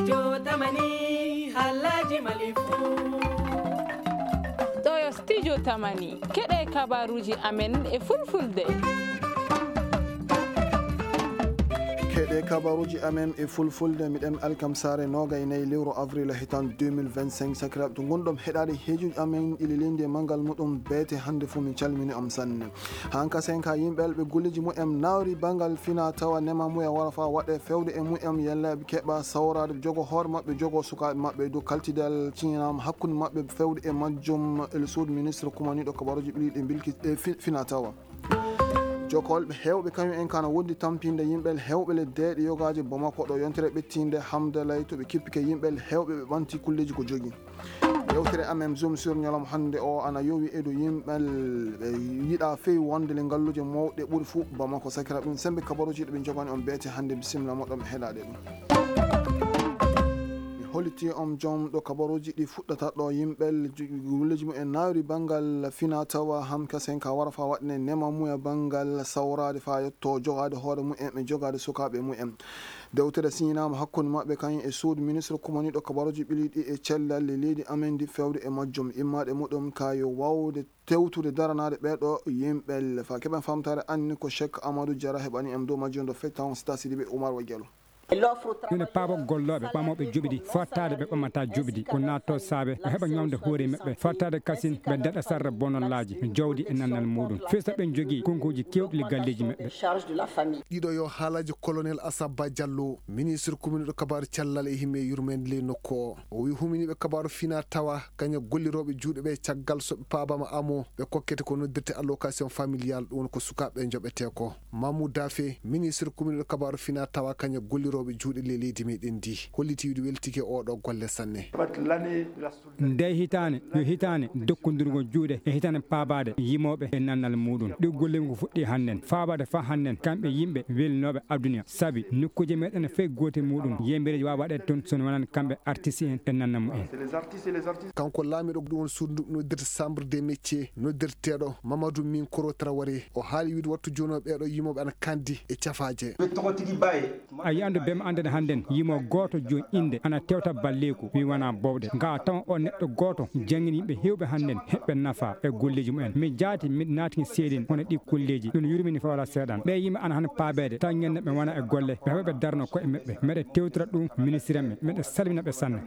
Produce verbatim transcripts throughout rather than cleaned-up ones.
Jotamani, Alhaji Malifu. Ɗo yo Studio Tamani. Keɗe kabaruji amen e fulfulde. Keɗe kabaruji amen e fulfulde, miɗen alkamsare nogay nayi lewru avril hitan deux mille vingt-cinq. Sakiraɓe, to gonɗon heɗade heejuji amen ɗi lelinde e mangal muɗum beete hannde fuu, min calmini on sanne. Hanka sen ka yimɓe ɓe golleji mu'en nawri bangal fina tawa nema muya wara fa waɗe fewde e mu'en, yalla ɓe keɓa sawrade jogo hoore maɓɓe, jogo sukaaɓe maɓɓe dow kaltidal cinam hakkunde maɓɓe fewde e majjum. El suudu ministre kumaniɗo kabaruji ɓiɗi ɗe bilki e fi-, fina tawa. Jokolɓe hewɓe kañum en kana wondi tampinde yimɓe hewɓe le deeɗe yogaaji Bamako ɗo yontere ɓettinde Hamdalay to ɓe kippike yimɓe hewɓe ɓe ɓanti kulleji ko jogi. Yewtere amen Zoom sur ñalawma hannde o ana yowi e dow yimɓe ɓe yiɗa fewi wonde le ngalluuje mawɗe ɓuri fuu Bamako. Sakira ɗum sembe kabaruji ɗe ɓe jogani on beete hannde, bisimilla moɗon ɓe heɗaɗe ɗum. Mi holiti on jom ɗo kabaruji ɗi fuɗɗata ɗo yimɓe gulleji mum en nawri bangal fina tawa ham kasen ka wara fa waɗne nema muya bangal sawrade fa yetto jogade hoore mum en ɓe jogade sukaɓe mum en. Dewtere siñinaama hakkunde maɓɓe kañum e suudu ministre kumaniiɗo kabaruuji ɓiliiɗi e cellal leydi amen ndi fewde e majjum. Immaade muɗum ka yo waawde tewtude daranaade ɓeeɗo yimɓe le fa keɓen famtaare anni ko Cheikh Amadou Diarra heɓani en dow majjum ɗo fettan on sita Sidibe Oumar wa Diallo. Ina paaba gollooɓe ɓamooɓe juɓidi fottaade ɓe ɓamata juɓidi ko naatto saabe ɓe heɓa ñoomde hoore maɓɓe fottaade kasin ɓe daɗa sarra bonallaaji jawdi e nannal muɗum fesa ɓe jogii konkuuji kewɗi le galleeji maɓɓe. Ɗiɗo yo haalaji colonel Asaba Diallo, ministre kuminiɗo kabaaru cellal e himme yurmeende ley nokku o. O wi huminiiɓe kabaaru fina tawa kaña gollirooɓe juuɗe ɓe caggal so ɓe paabama amo ɓe kokkete ko noddirte allocation familial, ɗum woni ko sukaaɓe ɓe joɓete ko. Mamou Dafe, ministre kuminiɗo kabaaru fina tawa kaña gollirooɓe juuɗe ley leydi meɗen ndi, holliti wiide weltike oɗo golle sanne. Nde hitaande yo hitaande dokkondirgol juuɗe e hitaande paabaade yimooɓe e nannal muɗum. Ɗi gollirgol ko fuɗɗi hannden, faabaade faa hannden, kamɓe yimɓe welnooɓe aduna, sabi nokkuuje meɗen fof gootel muɗum, yembereeji waawa waɗeede toon so wonaan kamɓe artiste en e nannal mumen. Kanko laamiɗo ɗum woni suudu ndu noddirta chambre des métiers, noddirteeɗo Mamadou Minkoro Traoré, o haali wiide wattu jooni o ɓeeɗo yimooɓe ana kandi e cafaaje. A yi'andu bem anndene hannden yimo gooto jooni innde ana tewta balleeku wi wonaa bowɗe. Ngaa tawa o neɗɗo gooto janngini yimɓe heewɓe hannden heɓɓe nafa e golleeji mumen. Mi jaati miɗo naatini seedin hono ɗi golleeji ɗum yurmini fawla seeɗan. Ɓe yimɓe ana han paabeede taw ñande ɓe wona e golle ɓe heɓa ɓe darno koye maɓɓe. Meɗe tewtira ɗum ministre en ɓe meɗe salmina ɓe sanne.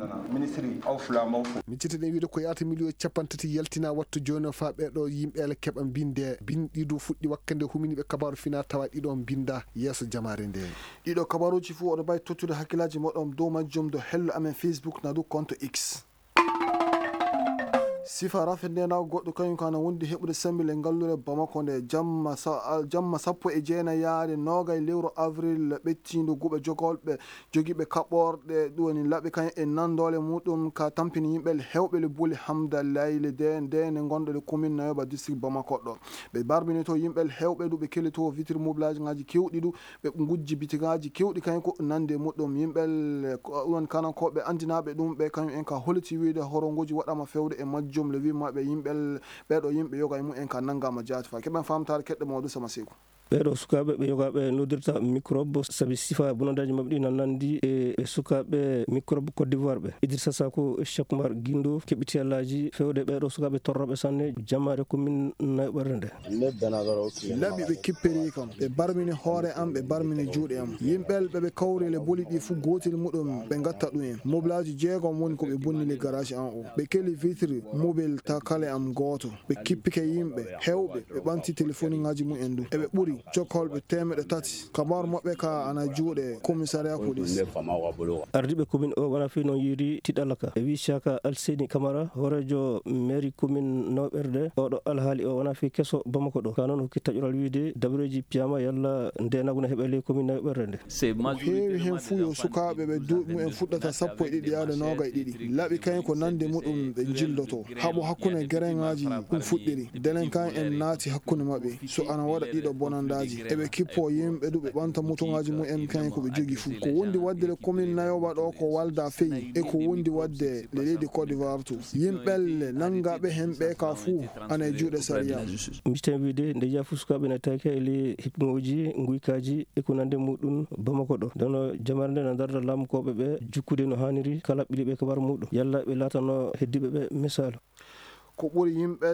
Min citti ɗen wiide ko yaata miliyo capanɗe tati yaltina wattu jooni o faa ɓeeɗo yimɓe ele keɓa mbinde. Binɗi du fuɗɗi wakkande huminiiɓe kabaaru fina tawa ɗiɗo mbinda yeeso jamaare nde. Ɗiɗo kabaruuji fuu oɗo mbawi tottude hakkillaaji moɗon dow majjum dow hello amen Facebook na dow konto X. Sifa rafe ndenago goɗɗo kañum ko ana wondi heɓude sembile ngallure Bamako nde jamma sa- jamma sappo e jeenayi yaade nogay lewru avril ɓettindu guɓe jogolɓe jogiiɓe kaɓorɗe ɗum woni laɓi kañum e nanndole muɗum ka tampini yimɓe hewɓe le buli Hamdalay le de nde ne gonɗo le commune Nayoba district Bamako ɗo. Ɓe barmini to yimɓe hewɓe ɗu ɓe kelli to vitre mobilaji ngaji kewɗi ɗu ɓe ngujji bitigaaji keewɗi kañum ko nande muɗum yimɓe ɗon kana ko ɓe anndinaaɓe ɗum ɓe kañum en ka holiti wiide horongoji waɗama fewde e majjum le wimmaɓe yimɓe ɓeeɗo yimɓe yoga e mum en ka nanngama jaati fa keɓen famtaare keɗɗe mawɗo sama seyku. Ɓeeɗo sukaaɓe ɓe yogaaɓe noddirta microbe sabi sifa bonandaaji maɓɓe ɗi na nanndi e e sukaaɓe microbe Côte d'Ivoire ɓe. Idrissa Sako, Cheikh Oumar Guindo keɓiti allaaji fewde ɓeeɗo sukaaɓe torrooɓe sanne jammaare commune Nayoɓerde nde. Laɓi ɓe kippiri kam ɓe barmini hoore am ɓe barmini juuɗe am yimɓel ɓe ɓe kawri le boli ɗi fuu gootel muɗum ɓe ngatta ɗum en mobilaaji jeegom woni ko ɓe bonni le garage an o ɓe keli vitre mobil ta kale am gooto ɓe kippike yimɓe hewɓe ɓe ɓanti telefoniŋaaji mum en du eɓe ɓuri jokkolɓe teemeɗe tati kabaru maɓɓe ka ana juuɗe commissariat police. Ardiiɓe commune o wona fii noon yiiri tiɗalla ka e wii Siaka Alseyni Kamara hooreejo mairie commune Nayoɓerde. Oɗo alhaali o wona fii keso Bamako ɗo ka noon hokki taƴoral wiide dabareeji piyama yalla nde naguna heɓe ley commune Nayoɓerde nde. Ko heewi heen fuu yo sukaaɓe ɓe duuɓi mumen fuɗɗata sappo e ɗiɗi yaade nooga e ɗiɗi laɓi kañum ko nande muɗum ɓe njilloto haɓo hakkunde gereŋaaji ɗum fuɗɗiri delenkan en naati hakkunde maɓɓe so ana waɗa ɗiɗo bonannde. Eɓe kippo yimɓe du ɓe ɓanta motoŋaaji mumen kayen ko ɓe jogi fuu. Ko wondi waɗde le komin nayowa ɗo ko walda feyi e ko wondi waɗde le leydi Côte d'Ivoire to. Yimɓe nanngaɓe hen ɓe ka fuu ana e juuɗe sariya. Mbiiten wiide nde yaha fuu sukaaɓe na tawke e ley hipŋooji, nguykaaji e ko nandi muɗum Bamako ɗo. Nde no jamare nde na darda laamukooɓe ɓe jukkude no haaniri kala ɓiɗiiɓe kabar muɗum. Yalla ɓe laatano heddiiɓe ɓe misaalu. Ko ɓuri yimɓe,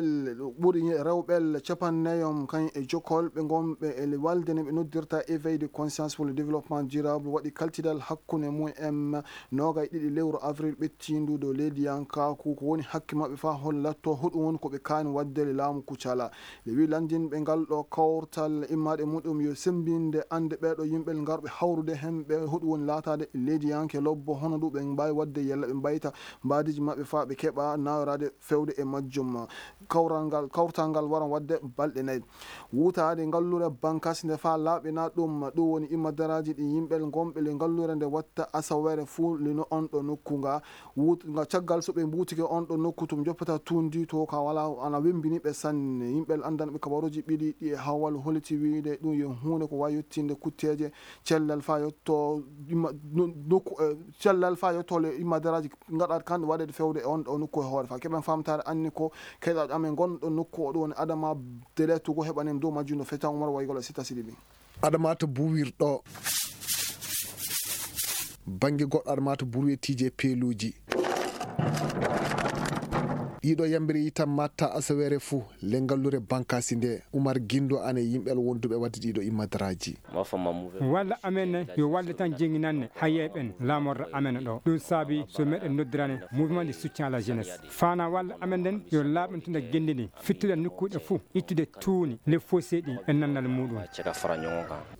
ɓuri rewɓe capanɗe nayi on kan e jokolɓe ngonɓe e walde ne ɓe noddirta éveil de conscience pour le développement durable waɗi kaltidal hakkunde mum en noogay ɗiɗi lewru avril ɓettindu dow leydiyankaaku. Ko woni hakke maɓɓe faa hol latto hoɗum woni ko ɓe kaani waɗde le laamu kucala. Le wi lanndinɓe ngal ɗo kawtal immaade muɗum yo semmbinde annde ɓeeɗo yimɓe ngarɓe hawrude heen ɓe hoɗum woni laataade leydiyanke lobbo hono ɗum ɓe mbaawi waɗde yalla ɓe mbayta mbaadiiji maɓɓe faa ɓe keɓa nayoraade fewde e majjum. Kawral ngal, kawtal ngal waran waɗde balɗe nayi. Wutaade ngallure bankas nde faa laaɓina ɗum, ɗum woni imma daraaji ɗi yimɓe ngonɓe le ngallure nde watta asawere fuu lino on ɗo nokku nga. Wut-, nga caggal so ɓe mbuutike on ɗo nokku tum joppata tuundi to ka wala ana wembini ɓe sanne. Yimɓe anndanɓe kabaruuji ɓiɗi ɗi e hawal holiti wiide ɗum yo huunde ko wawi yettinde kutteeje cellal faa yetto imma no-, nokku, eh, cellal faa yetto le imma daraaji ngaɗa kan waɗede fewde e on ɗo nokku e hoore faa keɓen famtaare anni ko keɗaɗo amen gonɗo nokku o ɗum woni Adama Dele Togo heɓanen dow majjum no fetan Umar Waygol e Sita Sidibi. Adama to buwirɗo. Bannge goɗɗo Adama to buwirtiije peeluuji. Ɗiɗo yambiri yitan matta asawere fuu le ngallure bankaasi nde Umar Gindo ane yimɓe wonduɓe wadde ɗiɗo immadaraaji. Walla amen ne yo walde tan jenginanne hayeeɓe en laamorde amen ɗo. Ɗum saabi so meɗen noddirane mouvement de soutien à la jeunesse. Faana walde amen nden yo laaɓintude genndi ndi, fittude nokkuuɗe fuu, ittude tuuni, le fossé ɗi e nannal muɗum.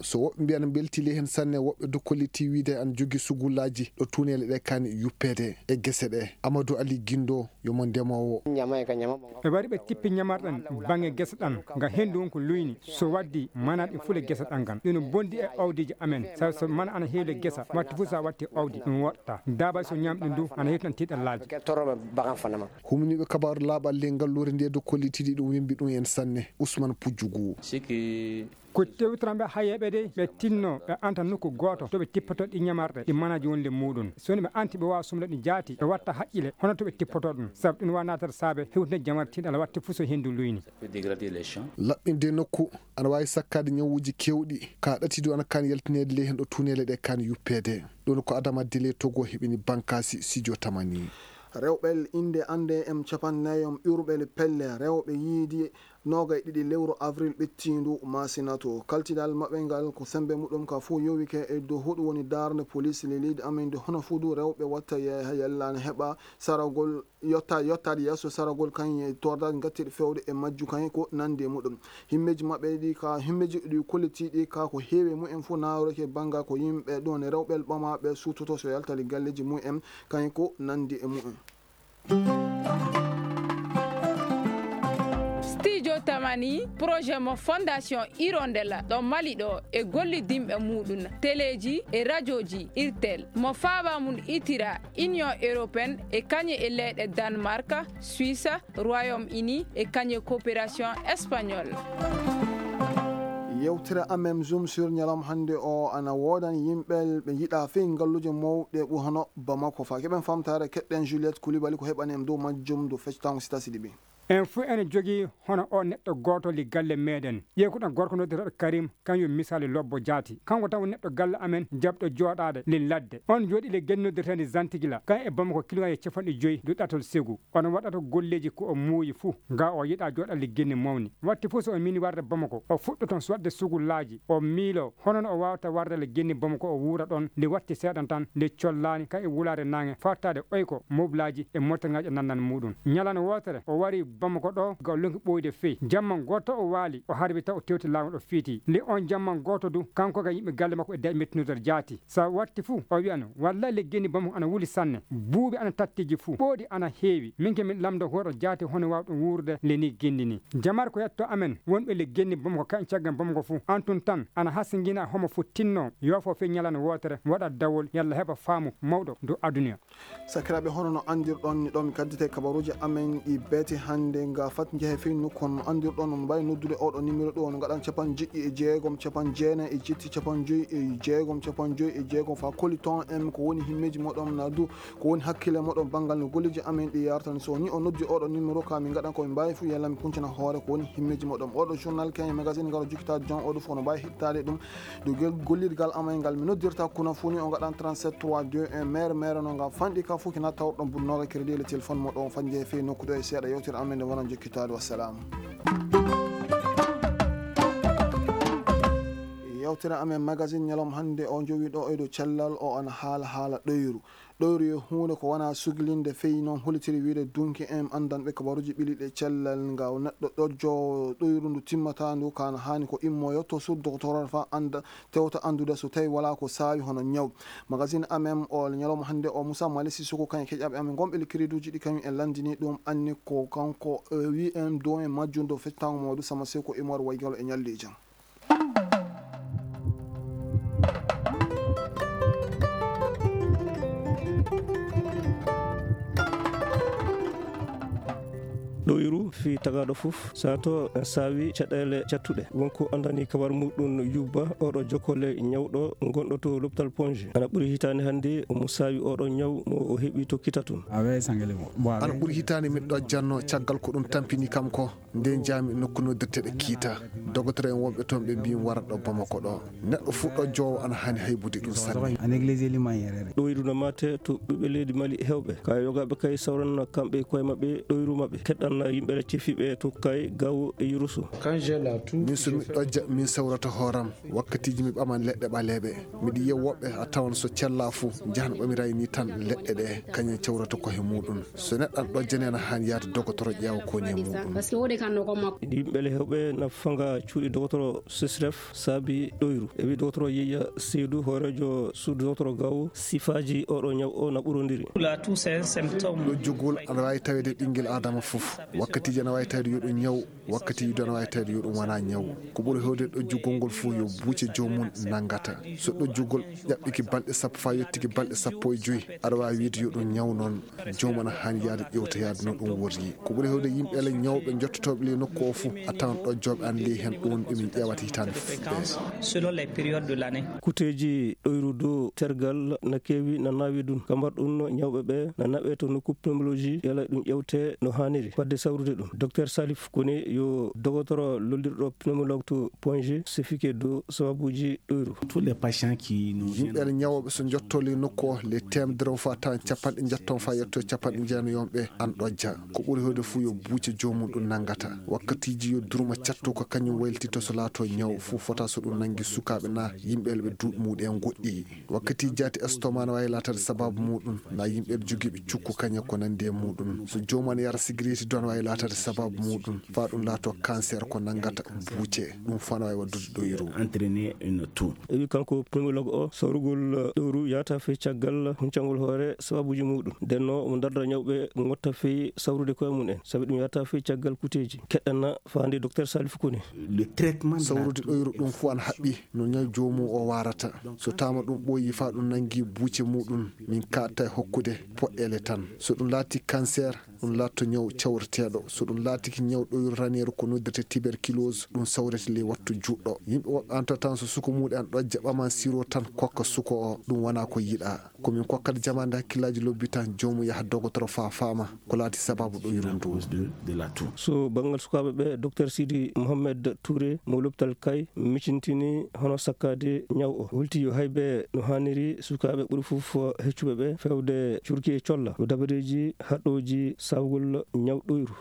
So woɓɓe mbiyan mbeltile heen sanne, woɓɓe dokkoliti wiide an jogi sugullaaji ɗo tuuneele ɗe kaani yuppeede e gese ɗe. Amadou Ali Gindo yo mo ndemoowo. Ɓe wari ɓe tippi ñamarɗen baŋnge gesa ɗan, nga henndu on ko luyni, so waddi mana ɗin fule gesa ɗan ngan. Ɗino bondi e awdiji amen, sabi so mana ana heewi le gesa, watti fof sa watti awdi, ɗum woɗɗata. Daabay so ñaami ɗum du, ana heewi tan tiiɗallaaji. Humniiɓe kabaaru laaɓal ley ngalluure nde dow kollitiiɗi ɗum wembi ɗum en sanne, Ousmane Poudjougou. Ko tewtiranɓe hayeeɓe de, ɓe tinno ɓe anta nokku gooto to ɓe tippoto ɗi ñamarɗe ɗi manaji wonde muɗum. So woni ɓe anti ɓe waawa sumde ɗum jaati, ɓe watta haqqile hono to ɓe tippoto ɗum. Sabu ɗum waawa naatata saabe hewtinde jamare tiiɗal watte fof so henndu luyni. Laɓɓinde nokku ana waawi sakkaade ñawuuji keewɗi, ka ɗati du ana kaani yaltineede ley heen ɗo tuuneele ɗe kaani yuppeede. Ɗum ko Adama Dele Togo heɓini bankaasi studio Tamani. Rewɓe innde annde em capanɗe nayi om ƴurɓe le pelle rewɓe yiidi noogay ɗiɗi lewru avril ɓettiindu maasinato. Kaltinal maɓɓe ngal ko semmbe muɗum ka fof yowike e dow hoɗum woni darnde police le leydi amen nde hono fuu du rewɓe watta yeeha yalla ne heɓa saragol yotta, yottaade yeeso saragol kaŋŋe e tordaade ngattiiɗe fewde e majju kaŋŋe ko nanndi e muɗum. Himmeeji maɓɓe ɗi ka, himmeeji ɗi kollitiiɗi ka ko heewi e mumen fof naawreke bannga ko yimɓe ɗon e rewɓe ɓamaaɓe suutoto so yaltali galleeji mumen kaŋŋe ko nanndi e mumen. Studio Tamani, projet mo Fondation Hirondelle ɗo Mali ɗo e gollidinɓe muɗum, teleeji e rajooji Irtel, mo faaba mum itira Union Européenne e kañe e leyɗe Danemark, Suisse, Royaume-Uni e kañe coopération espagnole. Yewtere amen Zoom sur ñalawma hannde o ana woodan yimɓe ɓe yiɗa fii ngalluuje mawɗe ɓuri hono Bamako. Faa keɓen famtaare keɗɗen Juliette Koulibaly ko heɓani en dow majjum dow fectango Sita Sidibi. En fuu ene jogii hono o neɗɗo gooto li galle meɗen. Ƴeew ko ɗon gorko noddirteeɗo Karim, kan yo misali lobbo jaati. Kanko tan woni neɗɗo galle amen jaɓɗo jooɗaade li ladde. On jooɗi le genni noddirteeɗo Zantigila, kan e Bamako kilomètre capanɗe joyi du ɗatol Segu. On waɗata golleeji ko o muuyi fuu, nga o yiɗa jooɗa li genni mawni. Watti fof so o miini warde Bamako, o fuɗɗo toon so waɗde sugullaaji, o miilo hono no o waawata warde le genni Bamako o wuura ɗon, nde watti seeɗan tan, nde collaani kan e wulaare naange, fawtaade oyko, moblaaji e mortalngaaji e nannal muɗum. Ñalande wootere, o wari Bamako ɗo, ga o lonki ɓooyde fey. Jamma gooto o waali, o harbi taw o tewti laamu ɗo fiiti. Nde on jamma gooto du, kanko ga yimɓe galle makko e daɗi mettinirde jaati. Sa watti fuu, o wi'ano, wallaahi le genni Bamako ana wuli sanne. Buubi ana tattiji fuu, ɓooɗi ana heewi. Min ke min lamdo hoɗo jaati hono waawɗum wuurde le ni genni ni. Jamar ko yetto amen, wonɓe le genni Bamako kañ caggal Bamako fuu. Antun tan, ana hasingina homo fuu tinno, yoofo fii ñalande wootere, waɗa dawol, yalla heɓa faamu mawɗo dow aduna. Sakiraaɓe, hono no anndirɗon ni ɗo mi kaddite kabaruuji amen ɗi beete hannde. Nde nga fat njehe fey nokku on anndirɗon, on mbaawi noddude oɗo numéro ɗo, on ngaɗan capanɗe jeɗɗi e jeegom, capanɗe jeenayi e jetti, capanɗe joyi e jeegom, capanɗe joyi e jeegom, fa koli ton en ko woni himmeeji moɗon na du, ko woni hakkille moɗon banngal no golleeji amen ɗi yartani. So ni o noddi oɗo numéro ka min ngaɗan ko min mbaawi fu yalla mi kuncana hoore ko woni himmeeji moɗon. Oɗo journal kayen magazine ngaro jokkitaade jon oɗo fof no mbaawi heɗitaade ɗum. Ɗo gel-, gollirgal amen ngal mi noddirta kuna fuu ni o ngaɗan trente-sept trois deux un mere mere no nga fanɗi ka fuu kina tawɗon bun nooga crédit le téléphone moɗon fanje fey nokku ɗo e seeɗa yewtere amen nde wonan jokkitaade. Wassalam. Yewtere amen magazine ñalawma hannde o jowi ɗo e dow cellal o ana haala haala ɗoyru. Ɗoyru yo huunde ko wona suglinde, feyi noon holitiri wiyde dunki en anndanɓe kabaruuji ɓiliiɗe cellal nga neɗɗo ɗojjo ɗoyru ndu timmata ndu ka na haani ko immoyo to suudu doktorol fa annda tewta anndude so tawi wala ko saawi hono ñaw. Magazine amen o ñalawma hannde o Moussa Mali Sissoko kañum keƴaɓe amen gonɓe likkiriduuji ɗi kañum en lanndini ɗum anni ko kanko, eh, wi en do en majjunde fectango Mamadou Sama Seko Imor Waygalo e ñalli e jam. Ɗoyru fii tagaaɗo fof, sato en saawi caɗeele cattuɗe. Wonko anndani kabar muɗum yubba oɗo jokkole ñawɗo gonɗo to l'hôpital Ponge. Ana ɓuri hitaande hannde omo saawi oɗo ñaw mo o heɓi to kita tun. Ana ɓuri hitaande miɗo janno caggal ko ɗum tampini kam ko. Nde njaami nokku noddirteɗo Kiita, dogotoro en wonɓe toon ɓe mbii mi wara ɗo Bamako ɗo. Neɗɗo fuu ɗo joowo ana haani haybude ɗum sanne. Ɗoyru no maate to ɓiɓɓe leydi Mali heewɓe. Ka yogaaɓe kay sawranna kamɓe koye maɓɓe ɗoyru maɓɓe. Keɗɗanna yimɓe cefiiɓe to kay gawo e yurusu. Min so mi ɗojja, min sawrata hooram. Wakkatiiji mi ɓaman leɗɗe ɓaleeɓe. Miɗo yiya woɓɓe a tawan so cella fuu njahan ɓamiraay ni tan leɗɗe ɗe kañum cawrata ko he muɗum. So neɗɗo ana ɗojjane ana haani yahde dogotoro ƴeewa ko woni e muɗum. Yimɓe le hewɓe na fanga cuuɗi dogotoro Sesref saabi ɗoyru. E wi dogotoro Yeya Seydu hooreejo suudu dogotoro gawo sifaaji oɗo ñaw o na ɓurondiri. Ɗojjugol ana waawi taweede ɓinngel Aadama fof. Wakkatiiji ana waawi taweede yo ɗum ñaw. Wakkatiiji du ana waawi taweede yo ɗum wona ñaw. Ko ɓuri heewde ɗojjugol ngol fof yo buuce joomum nanngata. So ɗojjugol ƴaɓɓiki balɗe sappo faa yottiki balɗe sappo e joy, aɗa waawi wiide yo ɗum ñaw noon. Joomum ana haani yahde ƴeewta yahde no ɗum worri. Ko ɓuri heewde yimɓe le ñawɓe njottotooɓe ley nokku o fof a tawan ɗojjooɓe ana ley heen ɗum woni ɓe min ƴeewata hitaande fof ɓe. Kuteeji ɗoyru dow tergal na keewi na naawi dun. Kambar ɗum ñawɓe ɓe na naɓe to nokku pneumologie yala ɗum ƴewte no haaniri. Fadde sawrude ɗum, Docteur Salif Koné yo dogotoro lollirɗo pneumologue to Ponge, sefike dow sababuuji ɗoyru. Yimɓe ana ñawooɓe so njotto ley nokku o, ley teemedere o faa tawan capanɗe njetton faa yetto capanɗe jeenayi yonɓe ana ɗojja. Ko ɓuri heewde fuu yo buuce joomum ɗum nanngata. Wakkatiiji yo durma cattu ko kañum waylititto so laato ñaw fuu fota so ɗum nanngi sukaaɓe na yimɓe ɓe duuɓi muɗum en goɗɗi. Wakkati jaati estomac na waawi laataade sababu muɗum, na yimɓe jogiiɓe cukku kañe ko nanndi e muɗum. So joomum ana yara sigireti du ana waawi laataade sababu muɗum, faa ɗum laato cancer ko nanngata buuce. Ɗum fof ana waawi waɗdude ɗoyru. E wi kanko pneumologue o, sawrugol ɗoyru yahata fey caggal huncangol hoore sababuuji muɗum. Nden no omo darda ñawɓe ngotta fey sawrude koye mum en, sabi ɗum yahata fey caggal kuteeji. Keɗɗana faande Docteur Salif Koné. Sawrude ɗoyru ɗum fof ana haɓɓi no ñaw joomum o waarata. So taama ɗum ɓooyi faa ɗum nanngi buuce muɗum, min kaaɗta e hokkude poɗɗeele tan. So ɗum laati cancer, ɗum laatto ñaw cawreteeɗo. So ɗum laatiki ñaw ɗoyru raneeru ko noddirte tuberculose, ɗum sawrete ley wattu juɗɗo. Yimɓe woɓɓe ana tan so suka muɗum ana ɗojja ɓaman siro tan kokka suka o, ɗum wona ko yiɗa. Ko min kokkata jamaande hakkillaaji lobbi tan joomum yaha dogotoro faa faama ko laati sababu ɗoyru ndu. So banngal sukaaɓe ɓe, Docteur Sidi Mohamed Touré mo l'hôpital Kay micintini hono sakkaade ñaw o. Holti yo haybe no haaniri sukaaɓe ɓuri fof heccuɓe ɓe fewde curki e colla. Ko dabareeji haɗooji sawgol ñaw ɗoyru.